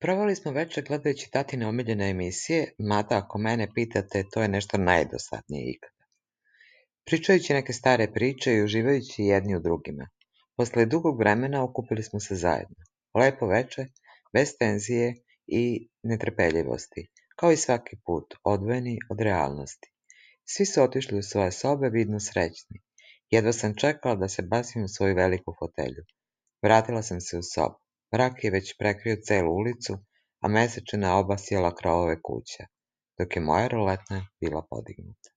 Proveli smo večer gledajući tatine omiljene emisije, mada ako mene pitate, to je nešto najdosadnije ikada. Pričajući neke stare priče i uživajući jedni u drugima. Posle dugog vremena okupili smo se zajedno. Lepo veče, bez tenzije i netrpeljivosti, kao i svaki put, odvojeni od realnosti. Svi su otišli u svoje sobe, vidno srećni. Jedva sam čekala da se bacim u svoju veliku fotelju. Vratila sam se u sobu. Mrak je već prekrio celu ulicu, a mesečina obasjala krovove kuća, dok je moja roletna bila podignuta.